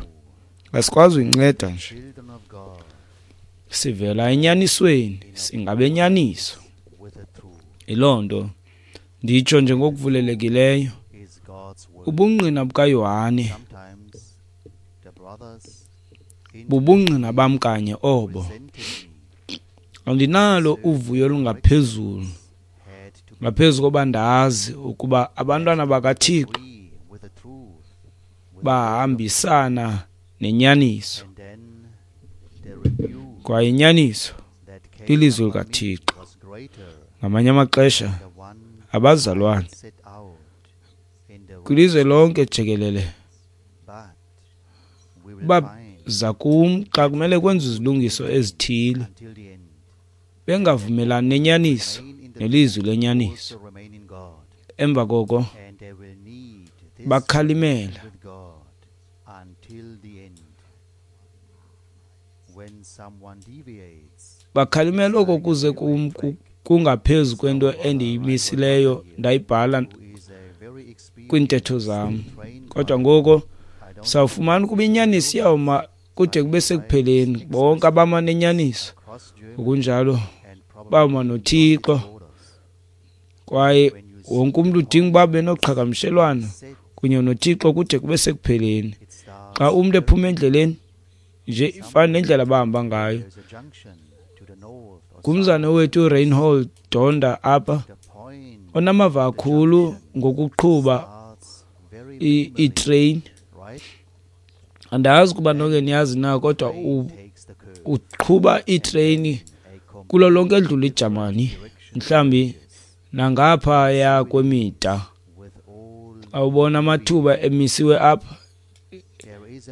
B: Asikwazi uyinceda nje. Sivela enyanisweni, singabenyaniso. Yiloo nto nditsho nje ngokuvulelekileyo. Ubungqina bukaYohane bubungqina bam kanye obo. Andinalo uvuyo olungaphezulu ngaphezu koba ndazi ukuba abantwana bakaThixo bahambisana nenyaniso, kwaye inyaniso lilizwi likaThixo. Ngamanye amaxesha abazalwane kwilizwe lonke jikelele baza kum xa kumele kwenziwe izilungiso ezithile, bengavumelani nenyaniso nelizwi lenyaniso. Emva koko bakhalimela. Bakhalimela oko kuze kum kungaphezu kwento endiyimisileyo ndayibhala kwiintetho zam. Kodwa ngoko sawufumana ukuba inyaniso iyawuma kude kube sekupheleni. Bonke abama nenyaniso ngokunjalo bawuma noThixo, kwaye wonke umntu udinga uba benoqhagamshelwano kunye noThixo kude kube sekupheleni. Xa umntu ephuma endleleni nje ifana nendlela abahamba ngayo. Ngumzana wethu uReinhold Donda apha, onamava kakhulu ngokuqhuba iitreyini. Andazi ukuba nonke niyazi na, kodwa uqhuba iitreyini kulo lonke edlula iJamani, mhlawumbi nangaphaya kwemida. Awubona amathuba emisiwe apha,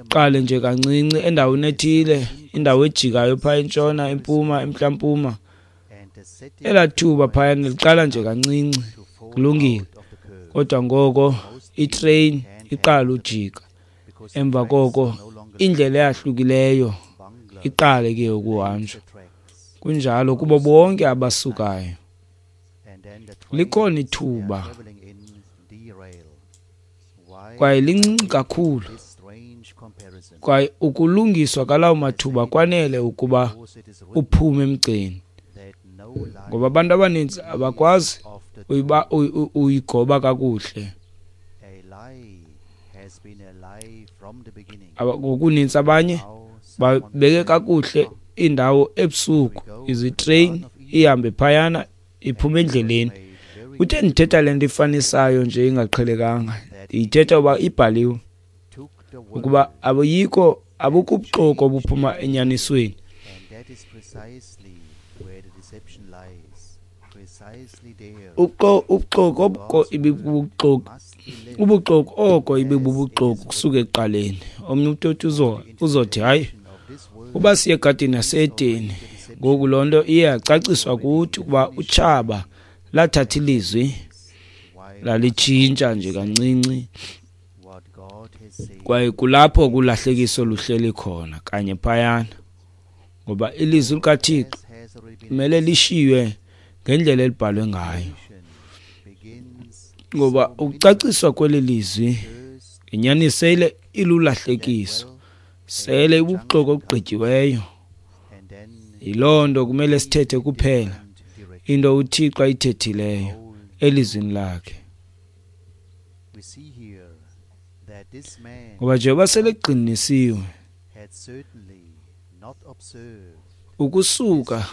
B: qale nje kancinci endaweni ethile, indawo ejikayo phaya entshona, empuma, emntla-mpuma. Elaa thuba phayana liqala nje kancinci, kulungile. Kodwa ngoko itreyini iqala ujika. Emva koko indlela eyahlukileyo iqale ke ukuhanjwa. Kunjalo kubo bonke abasukayo. Likhona ithuba kwaye lincinci kakhulu, kwaye ukulungiswa kalawo mathuba kwanele ukuba uphume emgceni, ngoba abantu abaninzi abakwazi uyigoba kakuhle. Ngokuninzi abanye babeke kakuhle indawo ebusuku, izitreyini ihambe phayana iphume endleleni. Uthe ndithetha le nto ifanisayo nje ingaqhelekanga, ndiyithetha uba ibhaliwe ukuba abuyikho abukho ubuxoki obuphuma enyanisweni. Ubuxoki obuko ibibuxoki, ubuxoki oko ibibubuxoki kusuka ekuqaleni. Omnye umntu uthi uzothi hayi, uba siye egadini yaseEdeni. Ngoku loo nto iye yacaciswa kuthi ukuba utshaba lathatha ilizwi lalitshintsha nje kancinci, kwaye kulapho kulahlekiso luhleli khona kanye phayana, ngoba ilizwi likaThixo kumele lishiywe ngendlela elibhalwe ngayo, ngoba ukucaciswa kweli lizwi inyaniso sele ilulahlekiso, sele ibubuxoki obugqityiweyo. Yiloo nto kumele sithethe kuphela into uThixo ayithethileyo elizwini lakhe, ngoba njengoba selegqinisiwe ukusuka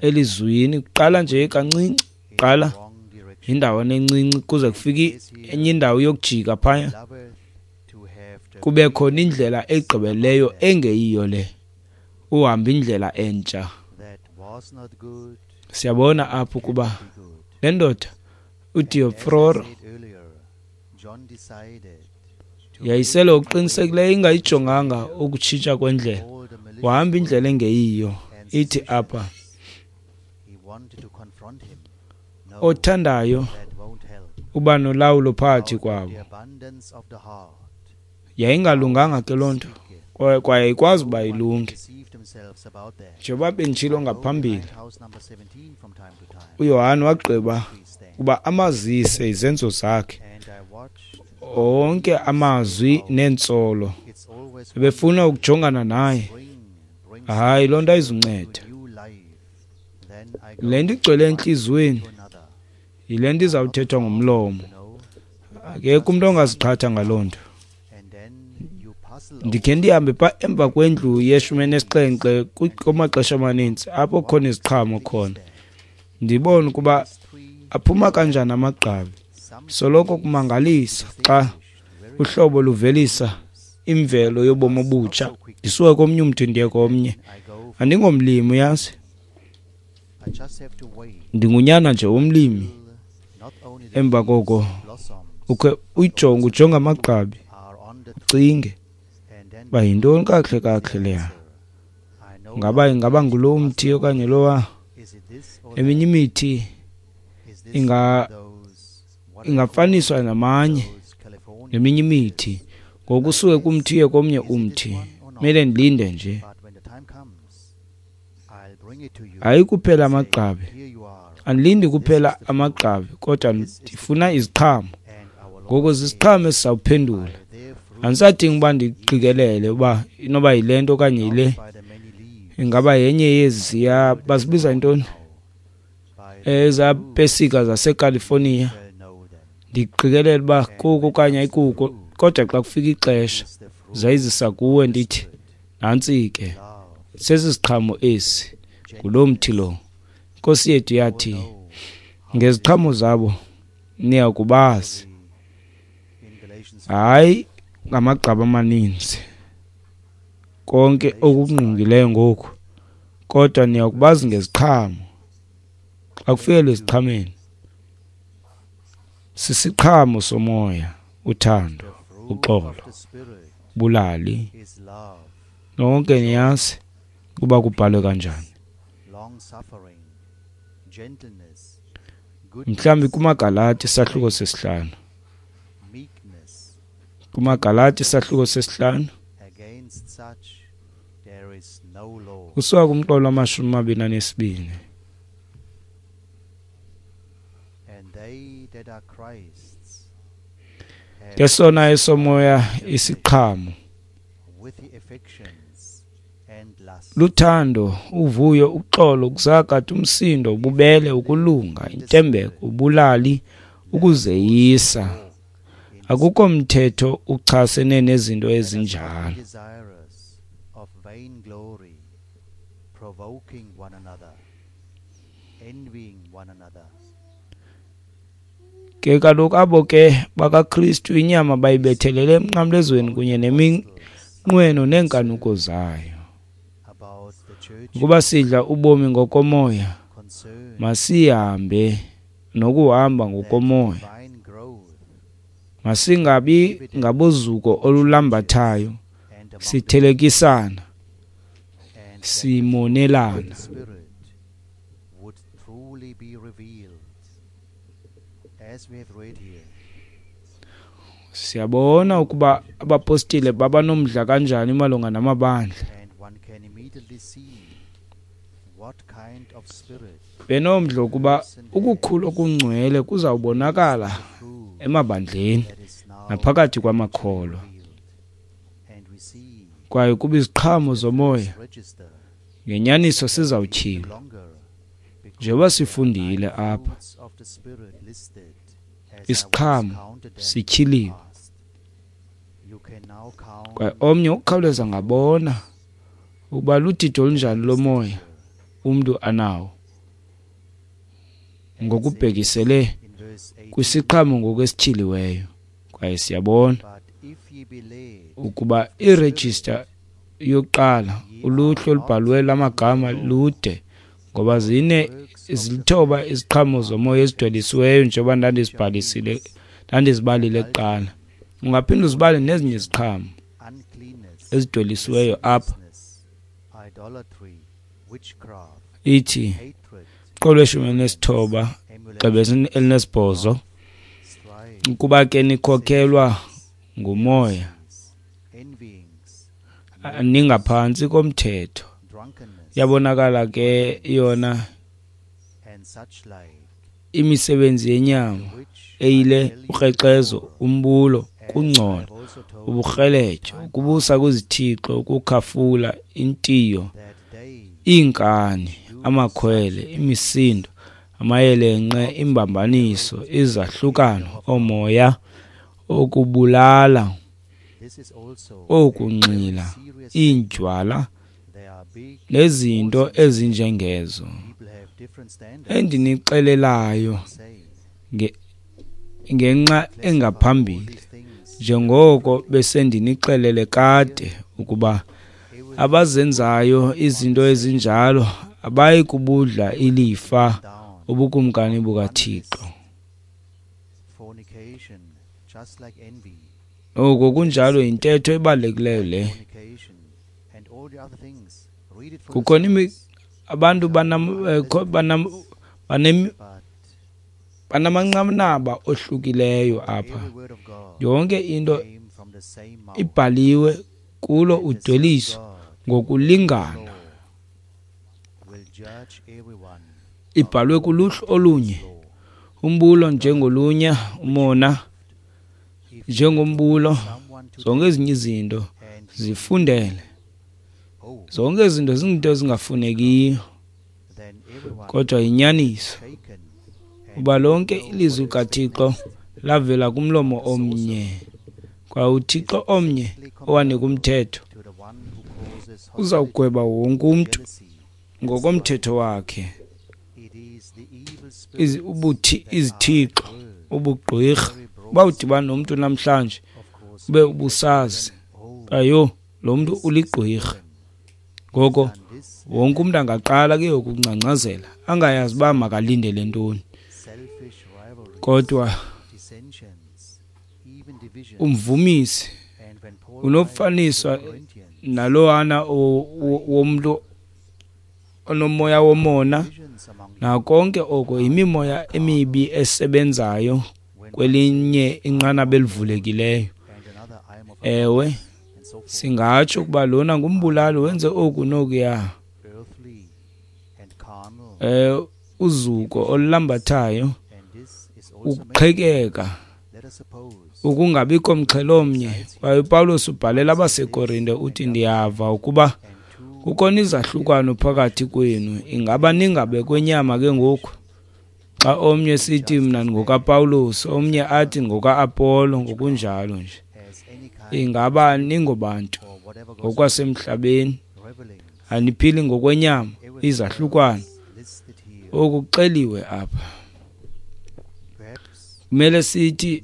B: elizwini, kuqala nje kancinci, qala indawana encinci kuze kufike enye indawo yokujika phaya, kube khona indlela egqibeleyo engeyiyo le, uhamba indlela entsha. Siyabona apho ukuba le ndoda uDiofroro yayisele okuqinisekileyo ingayijonganga ukutshintsha kwendlela, wahamba indlela engeyiyo. Ithi apha, othandayo uba nolawulo phakathi kwabo. Yayingalunganga ke loo nto, kwaye ayikwazi uba ilunge. Njengoba benditshilo ngaphambili, uYohane wagqiba ukuba amazise izenzo zakhe. Onke amazwi neentsolo bebefuna ukujongana naye. Hayi, loo nto ayizunceda. Le nto igcwele entliziyweni yile nto izawuthethwa ngomlomo. Akekho umntu ongaziqhatha ngaloo nto. Ndikhe ndihambe pha emva kwendlu ye-17 kumaxesha amaninzi apho khona iziqhamo khona, ndibone ukuba aphuma kanjani amagqabi. Soloko kumangalisa xa uhlobo luvelisa imvelo yobomi obutsha. Ndisuka komnye umthi ndiye komnye. Andingomlimi, uyazi, ndingunyana nje womlimi. Emva koko ukhe uyijonge, ujonge amagqabi, ucinge uba yintoni kakuhle kakuhle leya. Ngaba ingaba ngulo mthi okanye lowa? Eminye imithi ingafaniswa namanye neminye imithi. Ngoku usuke kumthi uye komnye umthi, kumele ndilinde nje. Hayi kuphela amagqabi, andilindi kuphela amagqabi, kodwa ndifuna iziqhamo. Ngoku ziziqhamo esizawuphendula. Andisadingi uba ndiqikelele uba inoba yile nto okanye yile. Ingaba yenye yeziya bazibiza ntoni, ezaa pesika zaseCalifornia. Ndiqikelele uba kuko okanye ayikuko, kodwa xa kufika ixesha zayizisa kuwe, ndithi nantsi ke, sesi siqhamo esi, ngulo mthi lo. Inkosi yethu yathi ngeziqhamo zabo niya kubazi. Hayi ngamagqabi amaninzi konke okungqungileyo ngoku, kodwa niya kubazi ngeziqhamo. Xa kufikela eziqhameni, sisiqhamo somoya, uthando, uxolo, bulali. Nonke niyazi ukuba kubhalwe kanjani. Mhlawumbi kumaGalati isahluko 5. KumaGalati isahluko 5. Kusuka kumqolo wama-22. Ke sona esomoya isiqhamo luthando, uvuyo, uxolo, ukuzakatha, umsindo, ububele, ukulunga, intembeko, ubulali, ukuzeyisa. Akukho mthetho uchasene nezinto ezinjalo. Ke kaloku abo ke bakaKristu inyama bayibethelele emnqamlezweni kunye neminqweno neenkanuko zayo. Ukuba sidla ubomi ngokomoya, masihambe nokuhamba ngokomoya. Masingabi ngabozuko olulambathayo, sithelekisana, simonelana. Siyabona ukuba abapostile babanomdla kanjani malunga namabandla. Benomdla ukuba ukukhula okungcwele kuzawubonakala emabandleni naphakathi kwamakholwa, kwaye kuba iziqhamo zomoya ngenyaniso sizawutyhilwa. Njengoba sifundile apha, isiqhamo sityhiliwe, kwaye omnye ukukhawuleza ngabona ukuba ludidi olunjani lomoya umntu anawo ngokubhekisele kwisiqhamo ngokwesityhiliweyo. Kwaye siyabona ukuba irejista yokuqala, uluhlu olubhalwe lamagama lude, ngoba zilithoba iziqhamo zomoya ezidwelisiweyo, njengoba ndandizibalile kuqala. Ungaphinda uzibale nezinye iziqhamo ezidwelisiweyo apha. Ithi qolo 19 gxebe 18, ukuba ke nikhokelwa ngumoya, ningaphantsi komthetho. Yabonakala ke yona imisebenzi yenyama eyile ukrexezo, umbulo, ukungcola, uburheletyo, ukubusa kwizithixo, ukukhafula, intiyo, iinkani, amakhwele, imisindo, amayelenqe, imbambaniso, izahlukano, oomoya, okubulala, okunxila, iindywala, nezinto ezinjengezo endinixelelayo ngenxa engaphambili, njengoko besendinixelele kade, ukuba abazenzayo izinto ezinjalo abayi kubudla ilifa ubukumkani bukaThixo. Oko kunjalo yintetho ebalulekileyo le. Kukhona abantu banamanqanaba ohlukileyo apha. Yonke into ibhaliwe kulo udweliso ngokulingana. Ibhalwe kuluhlu olunye. Umbulo njengolunya, umona njengombulo, zonke ezinye izinto zifundele. Zonke izinto zinto ezingafunekiyo, kodwa yinyaniso uba lonke ilizwi likaThixo lavela kumlomo omnye, kwaye uThixo omnye owanika umthetho uzawugweba wonke umntu ngokomthetho wakhe. Izithixo, ubugqwirha, uba udibana nomntu namhlanje ube ubusazi ayo lo mntu uligqwirha. Ngoko wonke umntu angaqala ke ukungcangcazela angayazi uba makalindele ntoni. Kodwa umvumisi unokufaniswa nalowana womntu onomoya womona, nakonke oko yimimoya emibi esebenzayo kwelinye inqanaba elivulekileyo. Ewe, singatsho ukuba lona ngumbulali, wenze oku nokuya. Uzuko olulambathayo, ukuqhekeka, ukungabikho mxhelomnye. Kwaye uPawulos ubhalela abaseKorinte uthi, ndiyava ukuba kukhona izahlukano phakathi kwenu, ingaba ningabekwenyama ke ngoku? Xa omnye sithi mna ngokaPawulos, omnye athi ngoka-Apollo, ngokunjalo nje. Ingaba ningobantu ngokwasemhlabeni, aniphili ngokwenyama, izahlukano. Oku kuxeliwe apha. Kumele sithi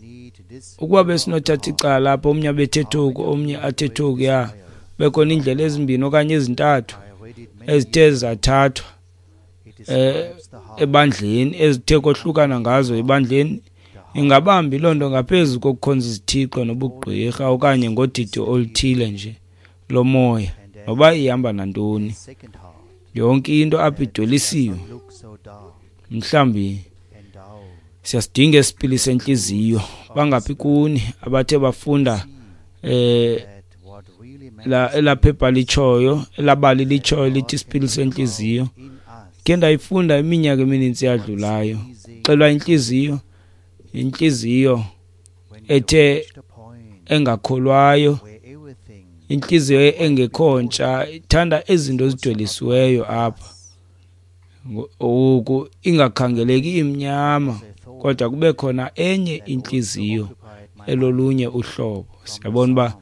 B: ukuba besinothatha icala apha, omnye abethethe oku, omnye athethe okuya, bekhona iindlela ezimbini okanye ezintathu ezithe zathathwa ebandleni, ezithe kohlukana ngazo ebandleni, ingabambi loo nto ngaphezu kokukhonza izithixo nobugqwirha okanye ngodidi oluthile nje lomoya, noba ihamba nantoni. Yonke into apha idwelisiwe. Mhlawumbi siyasidinga esipili sentliziyo. Bangaphi kuni abathe bafunda elaphepha litshoyo, elabali litshoyo lithi isipili sentliziyo? Ke ndayifunda iminyaka emininzi yadlulayo. Xelwa intliziyo, intliziyo ethe engakholwayo, intliziyo engekho ntsha, ithanda izinto ezidwelisiweyo apha. Oku ingakhangeleki imnyama, kodwa kube khona enye intliziyo elolunye uhlobo. Siyabona uba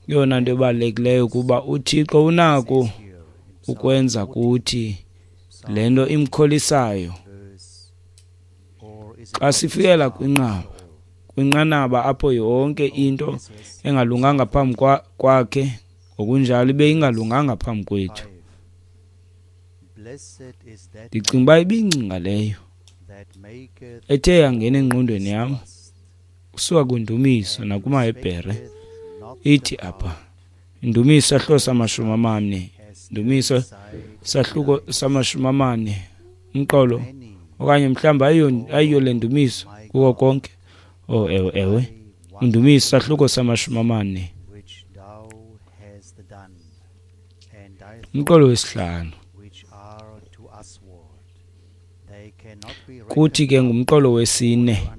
B: yona nto ebalulekileyo kuba uThixo unako ukwenza kuthi le nto imkholisayo. Xa sifikela kwinqanaba apho yonke into engalunganga phambi kwakhe, ngokunjalo ibe ingalunganga phambi kwethu. Ndicinga uba ibingcinga leyo ethe yangena engqondweni yam kusuka kwindumiso nakumaHebhere. Ithi apha indumiso sahluko sama-40, indumiso sahluko sama-40, umqolo okanye mhlawumbi ayiyo le ndumiso kuko konke. Oh, ewe, ewe, indumiso sahluko sama-40, umqolo wesihlanu. Kuthi ke ngumqolo wesine.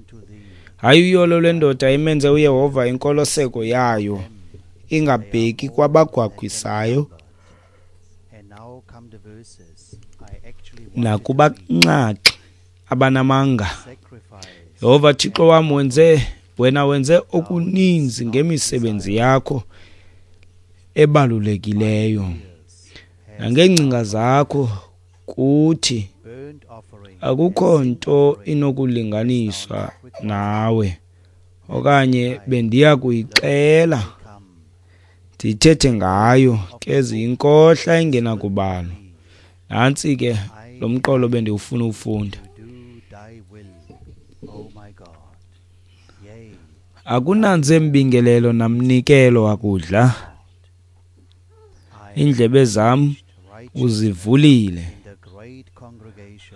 B: Hayi uyolo lwendoda imenze uYehova inkoloseko yayo, ingabheki kwabagwagwisayo nakubanxaxhi abanamanga. Yehova Thixo wam, wena wenze okuninzi ngemisebenzi yakho ebalulekileyo nangeengcinga zakho kuthi akukho nto inokulinganiswa nawe, okanye bendiya kuyixela ndithethe ngayo, ke ziyinkohla engenakubalwa. Nantsi ke lo mqolo bendiwufuna uwufunda. Akunanze mbingelelo namnikelo wakudla, iindlebe zam uzivulile.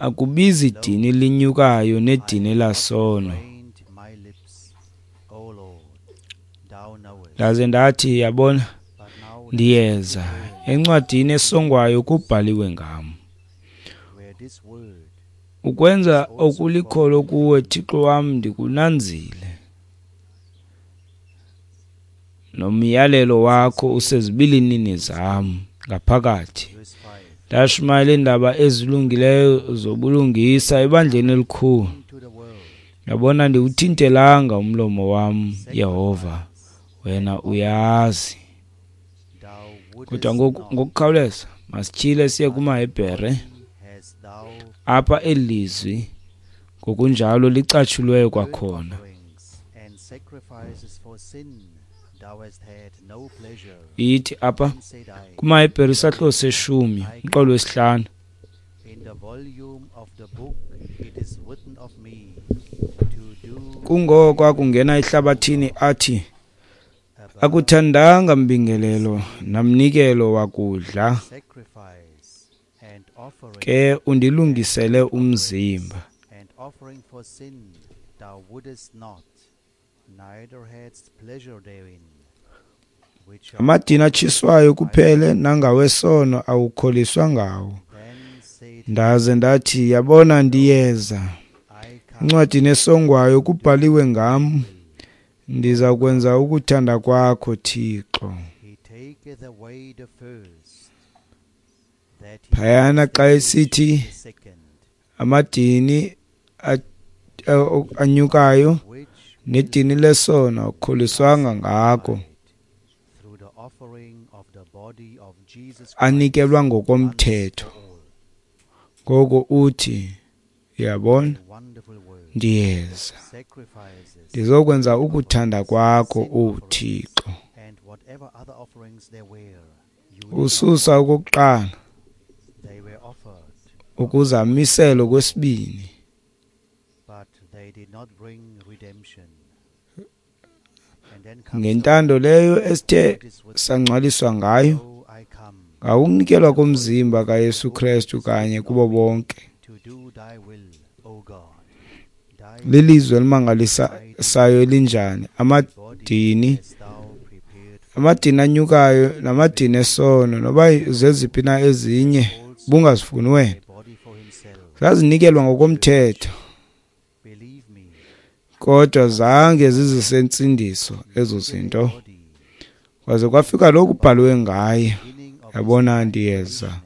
B: Akubizi dini linyukayo nedini lasono. Ndaze ndathi, yabona, ndiyeza, encwadini esongwayo kubhaliwe ngam. Ukwenza okulikholo kuwe, Thixo wam, ndikunanzile, nomyalelo wakho usezibilinini zam ngaphakathi. Ndashumayela iindaba ezilungileyo zobulungisa ebandleni elikhulu. Yabona, ndiwuthintelanga umlomo wam, Yehova, wena uyazi. Kodwa ngokukhawuleza masityhile siye kumaHebhere. Apha eli lizwi ngokunjalo licatshulweyo kwakhona. Ithi apha kumaHebhere isahluko seshumi umqolo wesihlanu. Kungoko akungena ehlabathini athi, akuthandanga mbingelelo namnikelo wakudla, ke undilungisele umzimba. Amadini atshiswayo kuphele nangawesono awukholiswa ngawo. Ndaze ndathi, yabona, ndiyeza, encwadini esongwayo kubhaliwe ngam, ndiza kwenza ukuthanda kwakho, Thixo. Phayana xa esithi amadini anyukayo nedini lesono akukholiswanga ngako, anikelwa ngokomthetho. Ngoko uthi, uyabona, ndiyeza, ndizokwenza ukuthanda kwakho, uThixo. Ususa okokuqala ukuze amisele okwesibini. Ngentando leyo esithe sangcwaliswa ngayo, ngawukunikelwa komzimba kaYesu Krestu kanye kubo bonke. Lilizwi elimangalisayo elinjani! Amadini anyukayo namadini esono, noba zeziphi na ezinye bungazifuni wena, zazinikelwa ngokomthetho, kodwa zange zizise ntsindiso ezo zinto. Kwaze kwafika lokhu kubhaliwe ngaye, yabona, ndiyeza,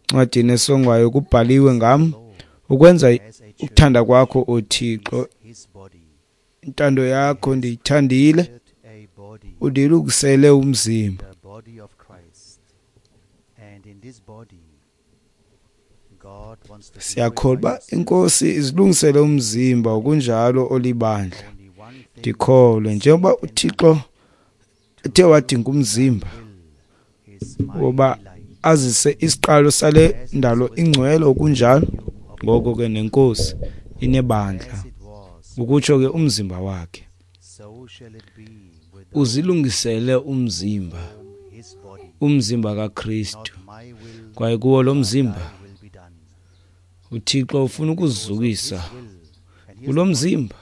B: encwadini esongwayo kubhaliwe ngam, ukwenza ukuthanda kwakho, uThixo. Intando yakho ndiyithandile, undilungisele umzimba. Siyakholwa inkosi izilungisele umzimba okunjalo olibandla. Ndikholwe njengoba uThixo ethe wadinga umzimba woba azise isiqalo sale ndalo ingcwele okunjalo, ngoko ke nenkosi inebandla, ukutsho ke umzimba wakhe. Uzilungisele umzimba, umzimba kaKristu, kwaye kuwo lo mzimba uThixo ufuna ukuzukisa. Kulo mzimba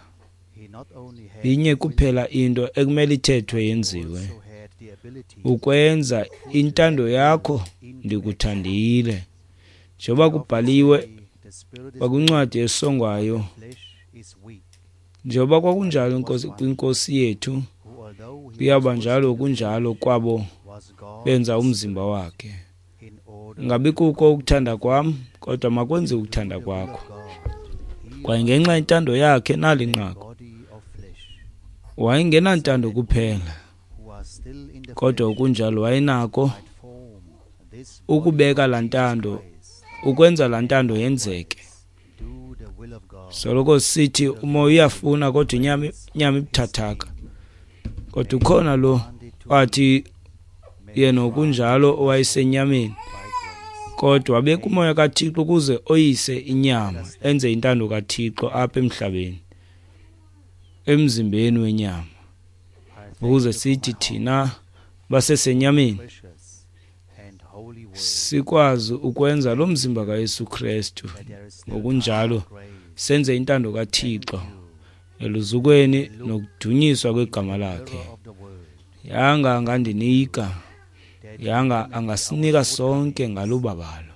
B: inye kuphela into ekumele ithethwe yenziwe, ukwenza intando yakho ndikuthandile, njengoba kubhaliwe kwakuncwadi esongwayo Njengoba kwakunjalo kwiNkosi yethu, kuyaba njalo kunjalo kwabo benza umzimba wakhe. Ngabi kuko ukuthanda kwam, kodwa makwenziwe ukuthanda kwakho. Kwaye ngenxa yentando yakhe nali nqaku, wayengenantando kuphela, kodwa kunjalo wayenako ukubeka laa ntando, ukwenza laa ntando yenzeke. Soloko sithi umoya uyafuna kodwa inyama ibuthathaka. Kodwa ukhona lo wathi yena kunjalo owayesenyameni, kodwa wabeka umoya kaThixo ukuze oyise inyama, enze intando kaThixo apha emhlabeni, emzimbeni wenyama, ukuze sithi thina basesenyameni sikwazi ukwenza lo mzimba kaYesu Kristu, ngokunjalo senze intando kaThixo eluzukweni nokudunyiswa kwegama lakhe. Yanga angandinika, yanga angasinika sonke ngalubabalo.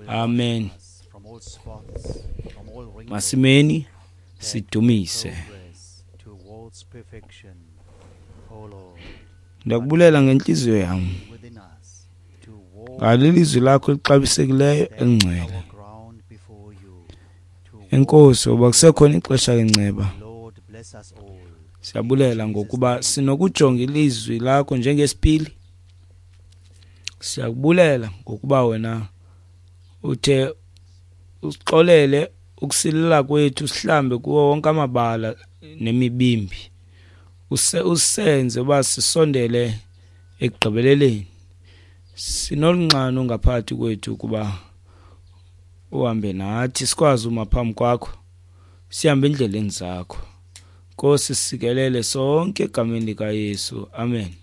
B: Amen. Masimeni sidumise. Ndiyakubulela ngentliziyo yam ngalelizwi lakho elixabisekileyo elingcwele. Enkosi ngoba kusekhona ixesha lenceba. Siyabulela ngokuba sinokujonga ilizwi lakho njengesipili. Siyakubulela ngokuba wena uthe usixolele ukusilela kwethu, sihlambe kuwo wonke amabala nemibimbi, usenze uba sisondele ekugqibeleleni. Sinolunxano ngaphakathi kwethu ukuba uhambe nathi, sikwazi uma phambi kwakho, sihambe endleleni zakho. Nkosi, sikelele sonke egameni likaYesu. Amen.